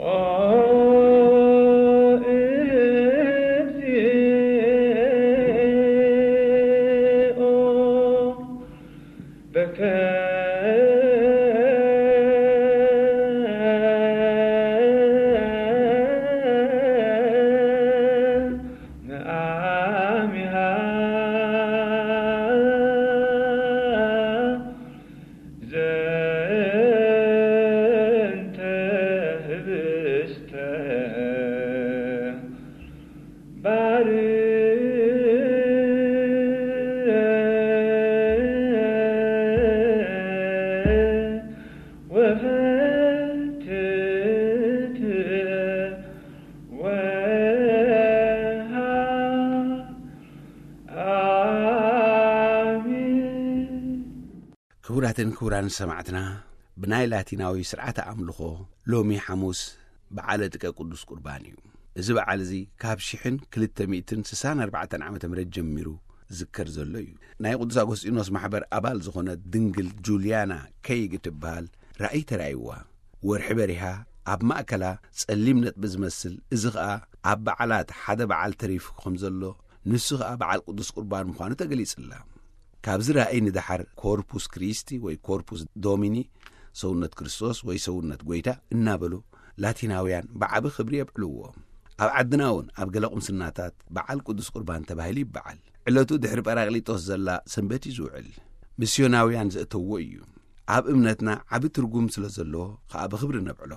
ኦ እግዚኦ፣ በከ ነአሚሃ ዘንተ ህብስተ ባርክ ወፈትት ወሃ ኣሜን። ክቡራትን ክቡራን ሰማዕትና፣ ብናይ ላቲናዊ ስርዓተ ኣምልኾ ሎሚ ሓሙስ በዓለ ጥቀ ቅዱስ ቁርባን እዩ። እዚ በዓል እዚ ካብ ሽሕን ክልተ ሚእትን ስሳን ኣርባዕተን ዓመተ ምህረት ጀሚሩ ዝከር ዘሎ እዩ። ናይ ቅዱስ ኣጎስጢኖስ ማሕበር ኣባል ዝኾነት ድንግል ጁልያና ከይግ ትበሃል ራእይ ተራእይዋ። ወርሒ በሪሃ ኣብ ማእከላ ጸሊም ነጥቢ ዝመስል፣ እዚ ኸኣ ኣብ በዓላት ሓደ በዓል ተሪፉ ከም ዘሎ፣ ንሱ ኸኣ በዓል ቅዱስ ቁርባን ምዃኑ ተገሊጽላ። ካብዚ ራእይ ንደሓር ኮርፑስ ክሪስቲ ወይ ኮርፑስ ዶሚኒ፣ ሰውነት ክርስቶስ ወይ ሰውነት ጐይታ እናበሉ ላቲናውያን ብዓቢ ክብሪ የብዕልዎ። ኣብ ዓድና እውን ኣብ ገለ ቁምስናታት በዓል ቅዱስ ቁርባን ተባሂሉ ይበዓል። ዕለቱ ድሕሪ ጳራቅሊጦስ ዘላ ሰንበት እዩ ዝውዕል። ሚስዮናውያን ዘእተዎ እዩ። ኣብ እምነትና ዓቢ ትርጉም ስለ ዘለዎ ኸኣ ብኽብሪ ነብዕሎ።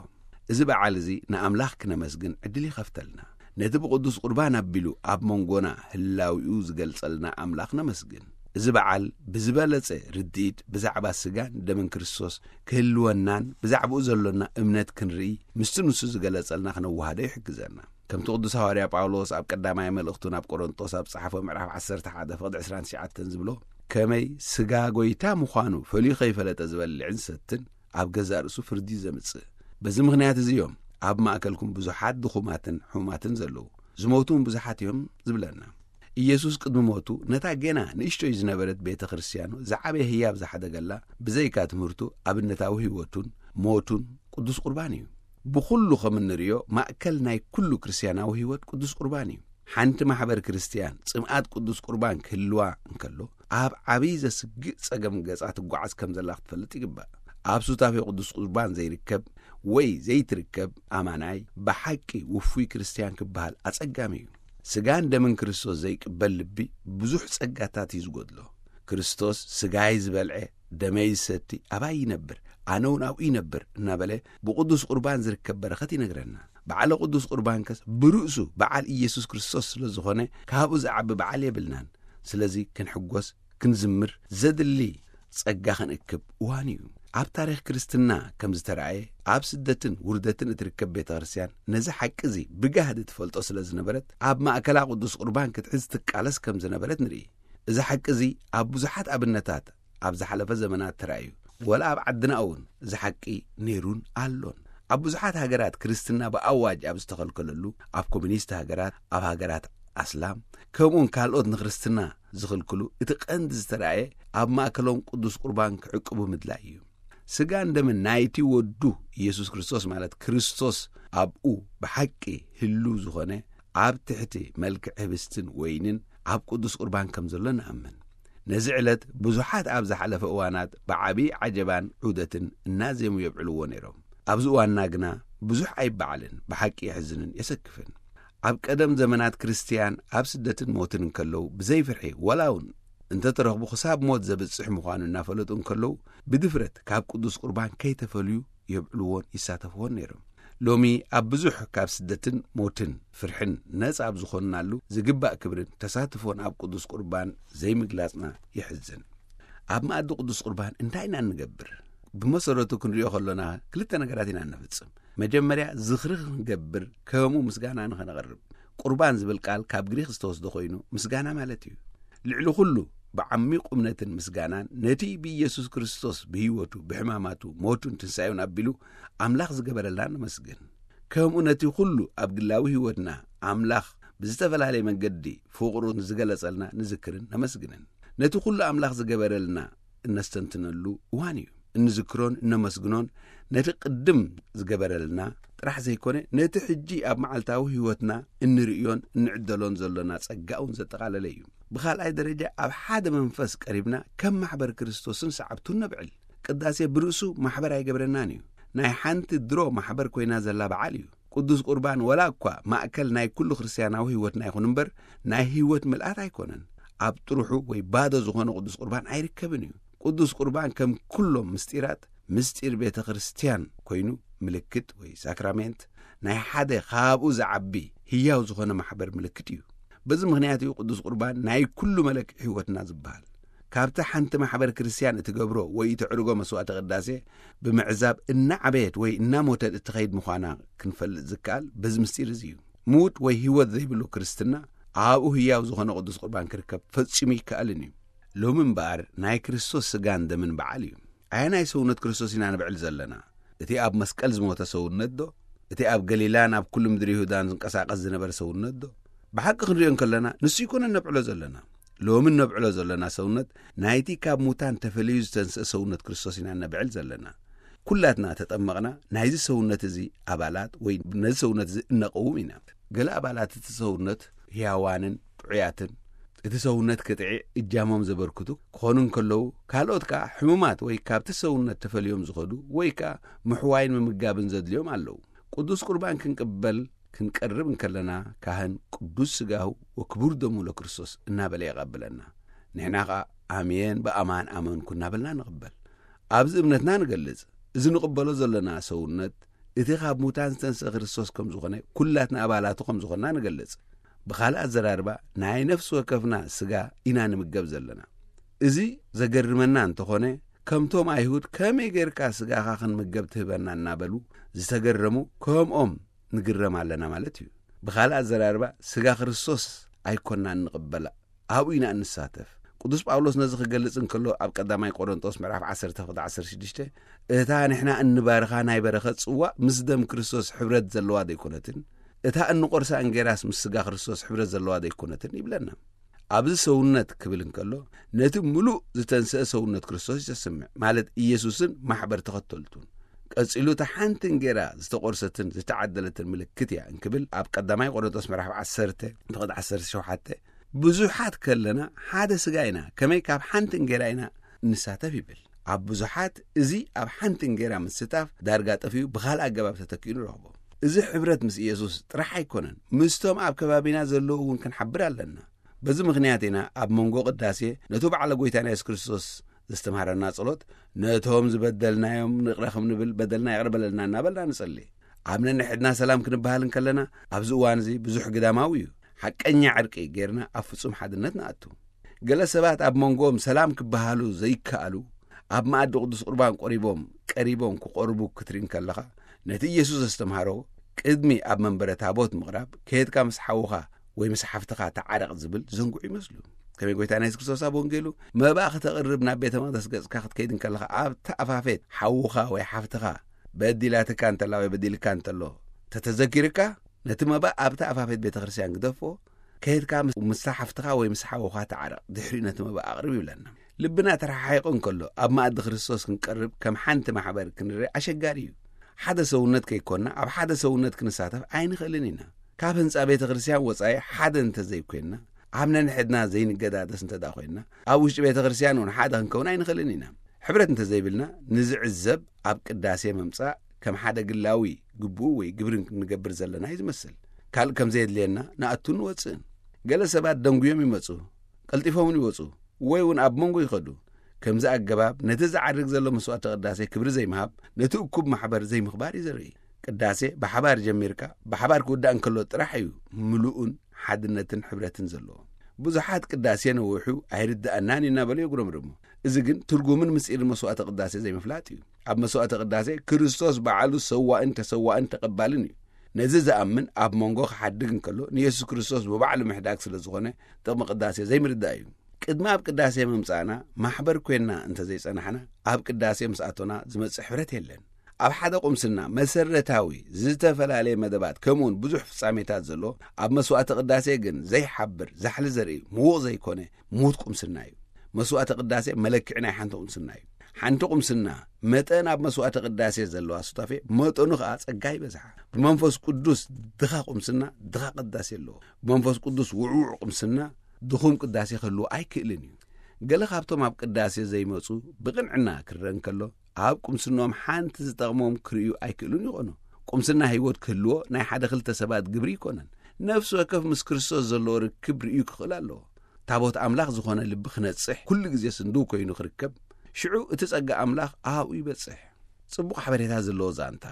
እዚ በዓል እዚ ንኣምላኽ ክነመስግን ዕድል ይኸፍተልና። ነቲ ብቅዱስ ቁርባን ኣቢሉ ኣብ መንጎና ህላዊኡ ዝገልጸልና ኣምላኽ ነመስግን። እዚ በዓል ብዝበለጸ ርድኢት ብዛዕባ ስጋን ደምን ክርስቶስ ክህልወናን ብዛዕባኡ ዘሎና እምነት ክንርኢ፣ ምስቲ ንሱ ዝገለጸልና ክነወሃዶ ይሕግዘና። ከምቲ ቅዱስ ሃዋርያ ጳውሎስ ኣብ ቀዳማይ መልእኽቱ ናብ ቆሮንጦስ ኣብ ጸሓፎ ምዕራፍ ዓሰርተ ሓደ ፍቕዲ ዕስራን ትሽዓተን ዝብሎ፣ ከመይ ስጋ ጐይታ ምዃኑ ፈልዩ ከይፈለጠ ዝበልዕን ዝሰትን ኣብ ገዛእ ርእሱ ፍርዲ እዩ ዘምጽእ። በዚ ምኽንያት እዚ እዮም ኣብ ማእከልኩም ብዙሓት ድኹማትን ሕሙማትን ዘለዉ፣ ዝሞቱ እውን ብዙሓት እዮም ዝብለና። ኢየሱስ ቅድሚ ሞቱ ነታ ጌና ንእሽቶይ ዝነበረት ቤተ ክርስትያኑ ዝዓበየ ህያብ ዝሓደገላ ብዘይካ ትምህርቱ ኣብነታዊ ህይወቱን ሞቱን ቅዱስ ቁርባን እዩ። ብኹሉ ከም እንርእዮ ማእከል ናይ ኩሉ ክርስትያናዊ ህይወት ቅዱስ ቁርባን እዩ። ሓንቲ ማሕበር ክርስትያን ጽምኣት ቅዱስ ቁርባን ክህልዋ እንከሎ ኣብ ዓብዪ ዘስግእ ጸገም ገጻ ትጓዓዝ ከም ዘላ ክትፈልጥ ይግባእ። ኣብ ሱታፌ ቅዱስ ቁርባን ዘይርከብ ወይ ዘይትርከብ ኣማናይ ብሓቂ ውፉይ ክርስትያን ክበሃል ኣጸጋሚ እዩ። ስጋን ደምን ክርስቶስ ዘይቅበል ልቢ ብዙሕ ጸጋታት እዩ ዝጎድሎ። ክርስቶስ ስጋይ ዝበልዐ ደመይ ዝሰቲ ኣባይ ይነብር፣ ኣነ እውን ኣብኡ ይነብር እናበለ ብቅዱስ ቁርባን ዝርከብ በረኸት ይነግረና። በዓለ ቅዱስ ቁርባን ከስ ብርእሱ በዓል ኢየሱስ ክርስቶስ ስለ ዝኾነ ካብኡ ዝዓቢ በዓል የብልናን። ስለዚ ክንሕጎስ፣ ክንዝምር ዘድሊ ጸጋ ክንእክብ እዋን እዩ። ኣብ ታሪኽ ክርስትና ከም ዝተራእየ ኣብ ስደትን ውርደትን እትርከብ ቤተ ክርስትያን ነዚ ሓቂ እዚ ብጋህዲ ትፈልጦ ስለ ዝነበረት ኣብ ማእከላ ቅዱስ ቁርባን ክትሕዝ ትቃለስ ከም ዝነበረት ንርኢ። እዚ ሓቂ እዚ ኣብ ብዙሓት ኣብነታት ኣብ ዝሓለፈ ዘመናት ተራእዩ። ወላ ኣብ ዓድና እውን እዚ ሓቂ ነይሩን ኣሎን። ኣብ ብዙሓት ሃገራት ክርስትና ብኣዋጅ ኣብ ዝተኸልከለሉ፣ ኣብ ኮሚኒስት ሃገራት፣ ኣብ ሃገራት ኣስላም፣ ከምኡውን ካልኦት ንክርስትና ዝኽልክሉ፣ እቲ ቀንዲ ዝተራእየ ኣብ ማእከሎም ቅዱስ ቁርባን ክዕቅቡ ምድላይ እዩ። ስጋን ደምን ናይቲ ወዱ ኢየሱስ ክርስቶስ፣ ማለት ክርስቶስ ኣብኡ ብሓቂ ህልው ዝኾነ፣ ኣብ ትሕቲ መልክዕ ህብስትን ወይንን ኣብ ቅዱስ ቁርባን ከም ዘሎ ንኣምን። ነዚ ዕለት ብዙሓት ኣብ ዝሓለፈ እዋናት ብዓቢ ዓጀባን ዑደትን እናዜሙ የብዕልዎ ነይሮም። ኣብዚ እዋንና ግና ብዙሕ ኣይበዓልን፣ ብሓቂ የሕዝንን የሰክፍን። ኣብ ቀደም ዘመናት ክርስትያን ኣብ ስደትን ሞትን እንከለዉ ብዘይ ፍርሒ፣ ወላ እውን እንተተረኽቡ ክሳብ ሞት ዘብጽሕ ምዃኑ እናፈለጡ እንከለዉ ብድፍረት ካብ ቅዱስ ቁርባን ከይተፈልዩ የብዕልዎን ይሳተፍዎን ነይሮም። ሎሚ ኣብ ብዙሕ ካብ ስደትን ሞትን ፍርሕን ነጻ ኣብ ዝኾንናሉ ዝግባእ ክብርን ተሳትፎን ኣብ ቅዱስ ቁርባን ዘይምግላጽና የሕዝን። ኣብ መኣዲ ቅዱስ ቁርባን እንታይ ኢና እንገብር? ብመሰረቱ ክንሪኦ ከሎና ክልተ ነገራት ኢና እንፍጽም። መጀመርያ ዝኽሪ ክንገብር፣ ከምኡ ምስጋና ንኸነቕርብ። ቁርባን ዝብል ቃል ካብ ግሪኽ ዝተወስደ ኮይኑ ምስጋና ማለት እዩ። ልዕሊ ኩሉ ብዓሚቕ እምነትን ምስጋናን ነቲ ብኢየሱስ ክርስቶስ ብህይወቱ፣ ብሕማማቱ፣ ሞቱን ትንሳኤውን ኣቢሉ ኣምላኽ ዝገበረልና ነመስግን። ከምኡ ነቲ ኩሉ ኣብ ግላዊ ህይወትና ኣምላኽ ብዝተፈላለየ መንገዲ ፍቕሩ ዝገለጸልና ንዝክርን ነመስግንን። ነቲ ኩሉ ኣምላኽ ዝገበረልና እነስተንትነሉ እዋን እዩ። እንዝክሮን እነመስግኖን ነቲ ቅድም ዝገበረልና ጥራሕ ዘይኮነ፣ ነቲ ሕጂ ኣብ መዓልታዊ ህይወትና እንርእዮን እንዕደሎን ዘሎና ጸጋ እውን ዘጠቓለለ እዩ። ብኻልኣይ ደረጃ፣ ኣብ ሓደ መንፈስ ቀሪብና ከም ማሕበር ክርስቶስን ሰዓብቱን ነብዕል። ቅዳሴ ብርእሱ ማሕበር ኣይገብረናን እዩ። ናይ ሓንቲ ድሮ ማሕበር ኮይና ዘላ በዓል እዩ። ቅዱስ ቁርባን ወላ እኳ ማእከል ናይ ኩሉ ክርስትያናዊ ህይወትና ይኹን እምበር፣ ናይ ህይወት ምልኣት ኣይኮነን። ኣብ ጥርሑ ወይ ባዶ ዝኾነ ቅዱስ ቁርባን ኣይርከብን እዩ። ቅዱስ ቁርባን ከም ኩሎም ምስጢራት፣ ምስጢር ቤተ ክርስትያን ኮይኑ፣ ምልክት ወይ ሳክራሜንት ናይ ሓደ ካብኡ ዝዓቢ ህያው ዝኾነ ማሕበር ምልክት እዩ። በዚ ምኽንያት እዩ ቅዱስ ቁርባን ናይ ኩሉ መለክዒ ህይወትና ዝበሃል። ካብቲ ሓንቲ ማሕበር ክርስትያን እትገብሮ ወይ እተዕርጎ መስዋዕተ ቅዳሴ ብምዕዛብ እናዓበየት ወይ እናሞተት እትኸይድ ምዃና ክንፈልጥ ዝከኣል በዚ ምስጢር እዚ እዩ። ምዉት ወይ ህይወት ዘይብሉ ክርስትና ኣብኡ ህያው ዝኾነ ቅዱስ ቁርባን ክርከብ ፈጺሙ ይከኣልን እዩ። ሎሚ እምበኣር ናይ ክርስቶስ ስጋን ደምን በዓል እዩ። ኣየናይ ሰውነት ክርስቶስ ኢና ንብዕል ዘለና? እቲ ኣብ መስቀል ዝሞተ ሰውነት ዶ? እቲ ኣብ ገሊላን ኣብ ኩሉ ምድሪ ይሁዳን ዝንቀሳቐስ ዝነበረ ሰውነት ዶ? ብሓቂ ክንሪኦ እንከለና ንሱ ኣይኮነን ነብዕሎ ዘለና። ሎሚ ነብዕሎ ዘለና ሰውነት ናይቲ ካብ ሙታን ተፈልዩ ዝተንስአ ሰውነት ክርስቶስ ኢና ነብዕል ዘለና። ኩላትና ተጠመቕና ናይዚ ሰውነት እዚ ኣባላት ወይ ነዚ ሰውነት እዚ እነቐውም ኢና። ገለ ኣባላት እቲ ሰውነት ህያዋንን ጥዑያትን፣ እቲ ሰውነት ክጥዒ እጃሞም ዘበርክቱ ክኾኑ እንከለዉ፣ ካልኦት ከኣ ሕሙማት ወይ ካብቲ ሰውነት ተፈልዮም ዝኸዱ ወይ ከኣ ምሕዋይን ምምጋብን ዘድልዮም ኣለዉ። ቅዱስ ቁርባን ክንቅበል ክንቀርብ እንከለና፣ ካህን ቅዱስ ስጋሁ ወክቡር ደሙ ለክርስቶስ እናበለ የቐብለና። ንሕና ኸኣ ኣሜን፣ ብኣማን ኣመንኩ እናበልና ንቕበል። ኣብዚ እምነትና ንገልጽ። እዚ ንቕበሎ ዘለና ሰውነት እቲ ካብ ሙታን ዝተንስአ ክርስቶስ ከም ዝኾነ፣ ኩላትና ኣባላቱ ከም ዝኾንና ንገልጽ። ብኻልእ ኣዘራርባ፣ ናይ ነፍሲ ወከፍና ስጋ ኢና ንምገብ ዘለና። እዚ ዘገርመና እንተኾነ፣ ከምቶም ኣይሁድ ከመይ ጌርካ ስጋኻ ክንምገብ ትህበና እናበሉ ዝተገረሙ፣ ከምኦም ንግረም ኣለና ማለት እዩ። ብኻልእ ኣዘራርባ፣ ስጋ ክርስቶስ ኣይኮናን ንቕበላ፣ ኣብኡ ኢና እንሳተፍ። ቅዱስ ጳውሎስ ነዚ ክገልጽ እንከሎ፣ ኣብ ቀዳማይ ቆሮንጦስ ምዕራፍ ዓሰርተ ፍቕዲ ዓሰርተ ሽዱሽተ፣ እታ ንሕና እንባርኻ ናይ በረኸት ጽዋእ ምስ ደም ክርስቶስ ሕብረት ዘለዋ ደይኮነትን? እታ እንቆርሳ እንጌራስ ምስ ስጋ ክርስቶስ ሕብረት ዘለዋ ደይኮነትን? ይብለና። ኣብዚ ሰውነት ክብል እንከሎ፣ ነቲ ምሉእ ዝተንስአ ሰውነት ክርስቶስ እዩ ዘስምዕ፣ ማለት ኢየሱስን ማሕበር ተኸተልቱን። ቀጺሉ፣ እታ ሓንቲ እንጌራ ዝተቖርሰትን ዝተዓደለትን ምልክት እያ እንክብል፣ ኣብ ቀዳማይ ቆሮንቶስ ምዕራፍ ዓሰርተ ፍቕዲ ዓሰርተ ሸውዓተ፣ ብዙሓት ከለና ሓደ ስጋ ኢና፣ ከመይ ካብ ሓንቲ እንጌራ ኢና ንሳተፍ ይብል። ኣብ ብዙሓት እዚ ኣብ ሓንቲ እንጌራ ምስታፍ ዳርጋ ጠፊኡ ብኻልእ ኣገባብ ተተኪኡ ንረኽቦ። እዚ ሕብረት ምስ ኢየሱስ ጥራሕ ኣይኮነን፣ ምስቶም ኣብ ከባቢና ዘለዉ እውን ክንሓብር ኣለና። በዚ ምኽንያት ኢና ኣብ መንጎ ቅዳሴ ነቱ በዓለ ጐይታና የሱስ ክርስቶስ ዘስተምሃረና ጸሎት፣ ነቶም ዝበደልናዮም ንቕረ ከም ንብል በደልና ይቕረ በለልና እናበልና ንጸሊ። ኣብ ነንሕድና ሰላም ክንበሃል እንከለና፣ ኣብዚ እዋን እዚ ብዙሕ ግዳማዊ እዩ። ሓቀኛ ዕርቂ ጌርና ኣብ ፍጹም ሓድነት ንኣቱ። ገለ ሰባት ኣብ መንጎኦም ሰላም ክበሃሉ ዘይከኣሉ፣ ኣብ መኣዲ ቅዱስ ቁርባን ቆሪቦም፣ ቀሪቦም ክቆርቡ ክትርኢ እንከለኻ፣ ነቲ ኢየሱስ ዘስተምሃሮ ቅድሚ ኣብ መንበረ ታቦት ምቕራብ፣ ከየድካ ምስ ሓውኻ ወይ ምስ ሓፍትኻ ተዓረቕ ዝብል ዘንግዑ ይመስሉ። ከመይ ጎይታና የሱስ ክርስቶስ ኣብ ወንጌሉ፣ መባእ ክተቕርብ ናብ ቤተ መቕደስ ገጽካ ክትከይድ እንከለኻ፣ ኣብቲ ኣፋፌት ሓውኻ ወይ ሓፍትኻ በዲላትካ እንተላ ወይ በዲልካ እንተሎ ተተዘኪርካ፣ ነቲ መባእ ኣብቲ ኣፋፌት ቤተ ክርስቲያን ግደፎ፣ ከይድካ ምስ፣ ምስታ ሓፍትኻ ወይ ምስ ሓውኻ ተዓረቕ፣ ድሕሪኡ ነቲ መባእ ኣቕርብ ይብለና። ልብና ተረሓሒቑ እንከሎ፣ ኣብ መኣዲ ክርስቶስ ክንቀርብ ከም ሓንቲ ማሕበር ክንርኢ ኣሸጋሪ እዩ። ሓደ ሰውነት ከይኮንና፣ ኣብ ሓደ ሰውነት ክንሳተፍ ኣይንኽእልን ኢና። ካብ ህንጻ ቤተ ክርስቲያን ወጻኢ ሓደ እንተዘይኮይንና፣ ኣብ ነንሕድና ዘይንገዳደስ እንተ ደኣ ኮይንና፣ ኣብ ውሽጢ ቤተ ክርስቲያን እውን ሓደ ክንከውን ኣይንኽእልን ኢና። ሕብረት እንተዘይብልና፣ ንዝዕዘብ ኣብ ቅዳሴ ምምጻእ ከም ሓደ ግላዊ ግቡእ ወይ ግብሪ ክንገብር ዘለና እዩ ዝመስል። ካልእ ከም ዘየድልየና ንኣቱን ንወጽእን። ገለ ሰባት ደንጉዮም ይመጹ፣ ቀልጢፎም እውን ይወጹ፣ ወይ እውን ኣብ መንጎ ይኸዱ። ከምዚ ኣገባብ ነቲ ዝዓርግ ዘሎ መስዋዕተ ቅዳሴ ክብሪ ዘይምሃብ፣ ነቲ እኩብ ማሕበር ዘይምኽባር እዩ ዘርኢ። ቅዳሴ ብሓባር ጀሚርካ ብሓባር ክውዳእ እንከሎ ጥራሕ እዩ ምሉእን ሓድነትን ሕብረትን ዘለዎ። ብዙሓት ቅዳሴ ነዊሑ ኣይርድኣናን እዩ እናበሉ የጉረምርሙ። እዚ ግን ትርጉምን ምስጢርን መስዋዕተ ቅዳሴ ዘይምፍላጥ እዩ። ኣብ መስዋዕተ ቅዳሴ ክርስቶስ ባዕሉ ሰዋእን ተሰዋእን ተቐባልን እዩ። ነዚ ዝኣምን ኣብ መንጎ ክሓድግ እንከሎ ንየሱስ ክርስቶስ ብባዕሉ ምሕዳግ ስለ ዝኾነ ጥቕሚ ቅዳሴ ዘይምርዳእ እዩ። ቅድሚ ኣብ ቅዳሴ ምምጻእና ማሕበር ኮይንና እንተዘይጸናሕና ኣብ ቅዳሴ ምስ ኣቶና ዝመጽእ ሕብረት የለን። ኣብ ሓደ ቁምስና መሰረታዊ ዝተፈላለየ መደባት ከምኡውን ብዙሕ ፍጻሜታት ዘሎ ኣብ መስዋዕተ ቅዳሴ ግን ዘይሓብር ዛሕሊ ዘርኢ ምዉቕ ዘይኮነ ምዉት ቁምስና እዩ። መስዋዕተ ቅዳሴ መለክዒ ናይ ሓንቲ ቁምስና እዩ። ሓንቲ ቁምስና መጠን ኣብ መስዋዕተ ቅዳሴ ዘለዋ ሱታፌ፣ መጠኑ ኸኣ ጸጋ ይበዝሓ። ብመንፈስ ቅዱስ ድኻ ቁምስና ድኻ ቅዳሴ ኣለዎ። ብመንፈስ ቅዱስ ውዕውዕ ቁምስና ድኹም ቅዳሴ ክህልዎ ኣይክእልን እዩ። ገለ ካብቶም ኣብ ቅዳሴ ዘይመጹ ብቕንዕና ክረአ እንከሎ፣ ኣብ ቁምስንኦም ሓንቲ ዝጠቕሞም ክርእዩ ኣይክእሉን ይኾኑ። ቁምስና ህይወት ክህልዎ ናይ ሓደ ክልተ ሰባት ግብሪ ይኮነን። ነፍሲ ወከፍ ምስ ክርስቶስ ዘለዎ ርክብ ርእዩ ክኽእል ኣለዎ። ታቦት ኣምላኽ ዝኾነ ልቢ ክነጽሕ፣ ኩሉ ግዜ ስንድው ኮይኑ ክርከብ፣ ሽዑ እቲ ጸጋ ኣምላኽ ኣብኡ ይበጽሕ። ጽቡቕ ሓበሬታ ዘለዎ ዛንታ።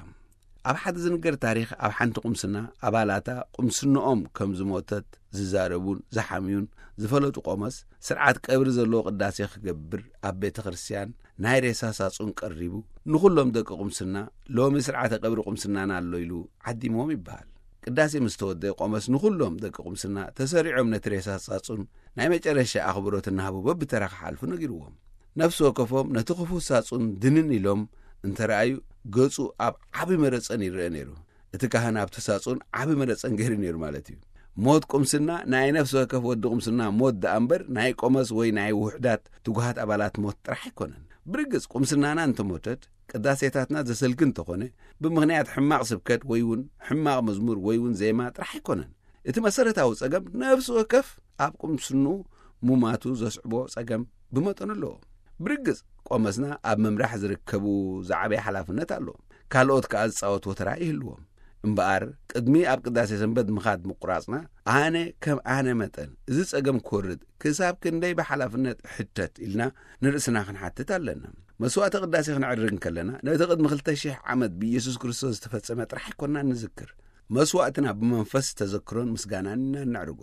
ኣብ ሓደ ዝንገር ታሪኽ፣ ኣብ ሓንቲ ቁምስና ኣባላታ ቁምስንኦም ከም ዝሞተት ዝዛረቡን ዝሓምዩን ዝፈለጡ ቆመስ፣ ስርዓት ቀብሪ ዘለዎ ቅዳሴ ክገብር ኣብ ቤተ ክርስቲያን ናይ ሬሳ ሳጹን ቀሪቡ፣ ንኹሎም ደቂ ቁምስና፣ "ሎሚ ስርዓተ ቀብሪ ቁምስናና ኣሎ" ኢሉ ዓዲምዎም ይበሃል። ቅዳሴ ምስ ተወደአ፣ ቆመስ ንኹሎም ደቂ ቁምስና ተሰሪዖም ነቲ ሬሳ ሳጹን ናይ መጨረሻ ኣኽብሮት እናሃቡ በብተራ ክሓልፉ ነጊርዎም። ነፍሲ ወከፎም ነቲ ክፉት ሳጹን ድንን ኢሎም እንተረኣዩ፣ ገጹ ኣብ ዓቢ መረጸን ይረአ ነይሩ። እቲ ካህን ኣብቲ ሳጹን ዓቢ መረጸን ገይሩ ነይሩ ማለት እዩ። ሞት ቁምስና ናይ ነፍሲ ወከፍ ወዲ ቁምስና ሞት ደኣ እምበር፣ ናይ ቆመስ ወይ ናይ ውሑዳት ትጉሃት ኣባላት ሞት ጥራሕ ኣይኮነን። ብርግጽ፣ ቁምስናና እንተሞተት፣ ቅዳሴታትና ዘሰልኪ እንተኾነ፣ ብምኽንያት ሕማቕ ስብከት ወይ እውን ሕማቕ መዝሙር ወይ እውን ዜማ ጥራሕ ኣይኮነን። እቲ መሰረታዊ ጸገም፣ ነፍሲ ወከፍ ኣብ ቁምስንኡ ሙማቱ ዘስዕቦ ጸገም ብመጠኑ ኣለዎ። ብርግጽ፣ ቆመስና ኣብ ምምራሕ ዝርከቡ ዝዓበየ ሓላፍነት ኣለዎም። ካልኦት ከኣ ዝጻወትዎ ተራ ይህልዎም። እምበኣር፣ ቅድሚ ኣብ ቅዳሴ ሰንበት ምኻድ ምቁራጽና፣ ኣነ ከም ኣነ መጠን እዚ ጸገም ክወርድ ክሳብ ክንደይ ብሓላፍነት እሕተት ኢልና ንርእስና ክንሓትት ኣለና። መስዋዕተ ቅዳሴ ክነዕርግ እንከለና፣ ነቲ ቅድሚ ክልተ ሽሕ ዓመት ብኢየሱስ ክርስቶስ ዝተፈጸመ ጥራሕ ኣይኮንና ንዝክር። መስዋዕትና ብመንፈስ ተዘክሮን ምስጋናን ኢና እነዕርጎ።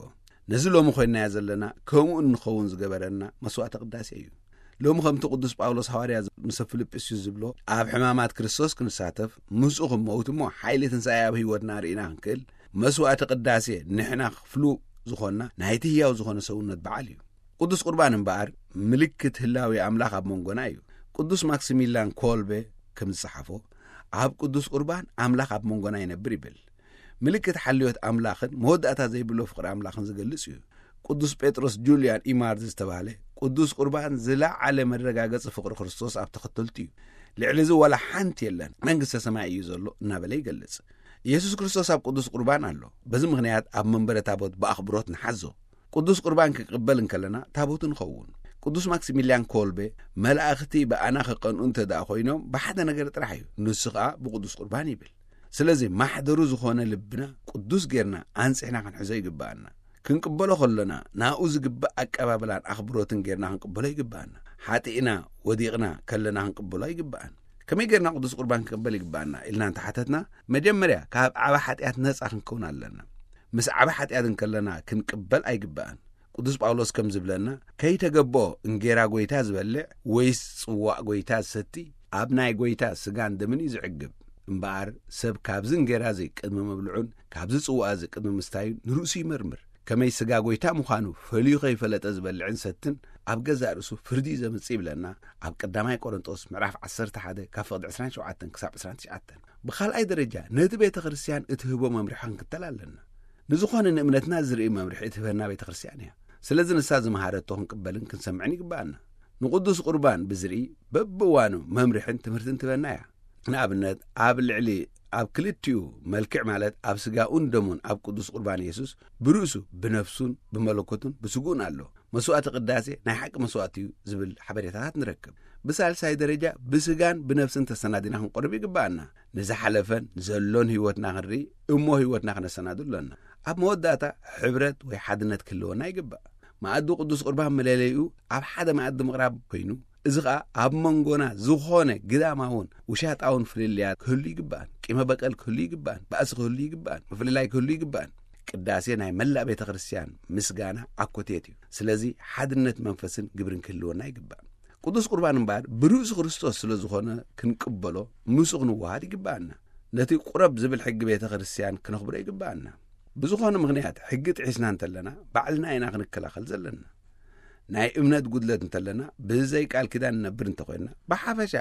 ነዚ ሎሚ ኮይንናዮ ዘለና፣ ከምኡ እንኸውን ዝገበረና መስዋዕተ ቅዳሴ እዩ። ሎሚ ከምቲ ቅዱስ ጳውሎስ ሃዋርያ ምስ ፊልጵስዩስ ዝብሎ፣ ኣብ ሕማማት ክርስቶስ ክንሳተፍ፣ ምስኡ ክንመውት እሞ፣ ሓይሊ ትንሳኤ ኣብ ህይወትና ርኢና ክንክእል፣ መስዋዕቲ ቅዳሴ ንሕና ክፍሉ ዝኾንና ናይቲ ህያው ዝኾነ ሰውነት በዓል እዩ። ቅዱስ ቁርባን እምበኣር፣ ምልክት ህላዌ ኣምላኽ ኣብ መንጎና እዩ። ቅዱስ ማክሲሚላን ኮልቤ ከም ዝጸሓፎ፣ ኣብ ቅዱስ ቁርባን ኣምላኽ ኣብ መንጎና ይነብር ይብል። ምልክት ሓልዮት ኣምላኽን መወዳእታ ዘይብሎ ፍቕሪ ኣምላኽን ዝገልጽ እዩ። ቅዱስ ጴጥሮስ ጁልያን ኢማርድ ዝተባህለ፣ ቅዱስ ቁርባን ዝለዓለ መረጋገጺ ፍቕሪ ክርስቶስ ኣብ ተኸተልቱ እዩ። ልዕሊ እዚ ዋላ ሓንቲ የለን፣ መንግስተ ሰማይ እዩ ዘሎ እናበለ ይገልጽ። ኢየሱስ ክርስቶስ ኣብ ቅዱስ ቁርባን ኣሎ። በዚ ምኽንያት ኣብ መንበረ ታቦት ብኣኽብሮት ንሓዞ። ቅዱስ ቁርባን ክቅበል እንከለና ታቦቱ ንኸውን። ቅዱስ ማክሲሚልያን ኮልቤ፣ መላእኽቲ ብኣና ክቐንኡ እንተ ደኣ ኮይኖም፣ ብሓደ ነገር ጥራሕ እዩ፣ ንሱ ኸኣ ብቅዱስ ቁርባን ይብል። ስለዚ ማሕደሩ ዝኾነ ልብና ቅዱስ ጌርና ኣንጺሕና ክንሕዞ ይግብኣና። ክንቅበሎ ከሎና ናኡ ዝግባእ ኣቀባብላን ኣኽብሮትን ጌርና ክንቅበሎ ይግብኣና። ሓጢእና ወዲቕና ከለና ክንቅበሎ ኣይግብኣን። ከመይ ጌርና ቅዱስ ቁርባን ክንቅበል ይግብኣና ኢልና እንተሓተትና፣ መጀመርያ ካብ ዓቢ ሓጢኣት ነጻ ክንከውን ኣለና። ምስ ዓቢ ሓጢኣት እንከለና ክንቅበል ኣይግብኣን። ቅዱስ ጳውሎስ ከም ዝብለና፣ "ከይተገብኦ እንጌራ ጐይታ ዝበልዕ ወይስ ጽዋእ ጐይታ ዝሰቲ ኣብ ናይ ጐይታ ስጋን ደምን እዩ ዝዕግብ። እምበኣር ሰብ ካብዚ እንጌራ እዚ ቅድሚ ምብልዑን ካብዚ ጽዋእ እዚ ቅድሚ ምስታዩን ንርእሱ ይመርምር። ከመይ ስጋ ጐይታ ምዃኑ ፈልዩ ከይፈለጠ ዝበልዕን ዝሰትን ኣብ ገዛእ ርእሱ ፍርዲ እዩ ዘምጽእ" ይብለና ኣብ ቀዳማይ ቆሮንጦስ ምዕራፍ ዓሰርተ ሓደ ካብ ፍቕዲ ዕስራን ሸውዓተን ክሳብ ዕስራን ትሽዓተን። ብኻልኣይ ደረጃ ነቲ ቤተ ክርስቲያን እትህቦ መምርሒ ክንክተል ኣለና። ንዝኾነ ንእምነትና ዝርኢ መምርሒ እትህበና ቤተ ክርስቲያን እያ። ስለዚ ንሳ ዝመሃረቶ ክንቅበልን ክንሰምዕን ይግብኣና። ንቅዱስ ቁርባን ብዝርኢ በብእዋኑ መምርሕን ትምህርትን ትህበና እያ። ንኣብነት፣ ኣብ ልዕሊ ኣብ ክልቲኡ መልክዕ፣ ማለት ኣብ ስጋኡን ደሙን ኣብ ቅዱስ ቁርባን የሱስ ብርእሱ ብነፍሱን ብመለኮቱን ብስግኡን ኣሎ። መስዋእቲ ቅዳሴ ናይ ሓቂ መስዋእቲ እዩ ዝብል ሓበሬታታት ንረክብ። ብሳልሳይ ደረጃ ብስጋን ብነፍስን ተሰናዲና ክንቆርብ ይግብኣና። ንዝሓለፈን ዘሎን ህይወትና ክንርኢ እሞ ህይወትና ክነሰናዱ ኣሎና። ኣብ መወዳእታ ሕብረት ወይ ሓድነት ክህልወና ይግባእ። መኣዲ ቅዱስ ቁርባን መለለይኡ ኣብ ሓደ መኣዲ ምቕራብ ኮይኑ፣ እዚ ኸኣ ኣብ መንጎና ዝኾነ ግዳማውን ውሻጣውን ፍልልያት ክህሉ ይግባእን፣ ቂመ በቀል ክህሉ ይግባእን፣ ባእሲ ክህሉ ይግባእን፣ ምፍልላይ ክህሉ ይግባእን። ቅዳሴ ናይ መላእ ቤተ ክርስቲያን ምስጋና ኣኮቴት እዩ። ስለዚ ሓድነት መንፈስን ግብርን ክህልወና ይግባእ። ቅዱስ ቁርባን እምበኣር ብርእሱ ክርስቶስ ስለ ዝኾነ ክንቅበሎ፣ ምስኡ ክንወሃድ ይግባኣና። ነቲ ቁረብ ዝብል ሕጊ ቤተ ክርስቲያን ክነኽብሮ ይግባኣና። ብዝኾነ ምኽንያት ሕጊ ጥሒስና እንተለና፣ ባዕልና ኢና ክንከላኸል ዘለና። ናይ እምነት ጉድለት እንተለና፣ ብዘይ ቃል ኪዳን ንነብር እንተኾይንና፣ ብሓፈሻ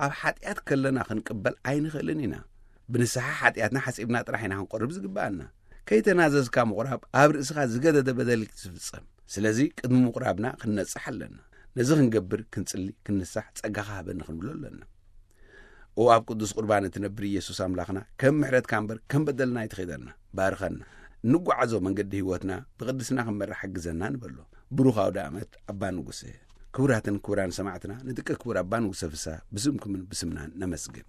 ኣብ ሓጢኣት ከለና ክንቅበል ኣይንኽእልን ኢና። ብንስሓ ሓጢኣትና ሓጺብና ጥራሕ ኢና ክንቆርብ ዝግባኣና። ከይተናዘዝካ ምቑራብ ኣብ ርእስኻ ዝገደደ በደል እዩ ዝፍጸም። ስለዚ ቅድሚ ምቑራብና ክንነጽሕ ኣለና። ነዚ ክንገብር፣ ክንጽሊ፣ ክንንሳሕ ጸጋኻ ሃበኒ ክንብሎ ኣለና። ኦ ኣብ ቅዱስ ቁርባን እትነብር ኢየሱስ ኣምላኽና፣ ከም ምሕረትካ እምበር ከም በደልና ኣይትኺደና። ባርኸና። እንጓዓዞ መንገዲ ህይወትና ብቕድስና ክንመርሕ ሓግዘና ንበሎ። ብሩኽ ኣውደ ዓመት ኣባ ንጉሰ። ክቡራትን ክቡራን ሰማዕትና፣ ንደቂ ክቡር ኣባ ንጉሰ ፍስሃ ብስምኩምን ብስምናን ነመስግን።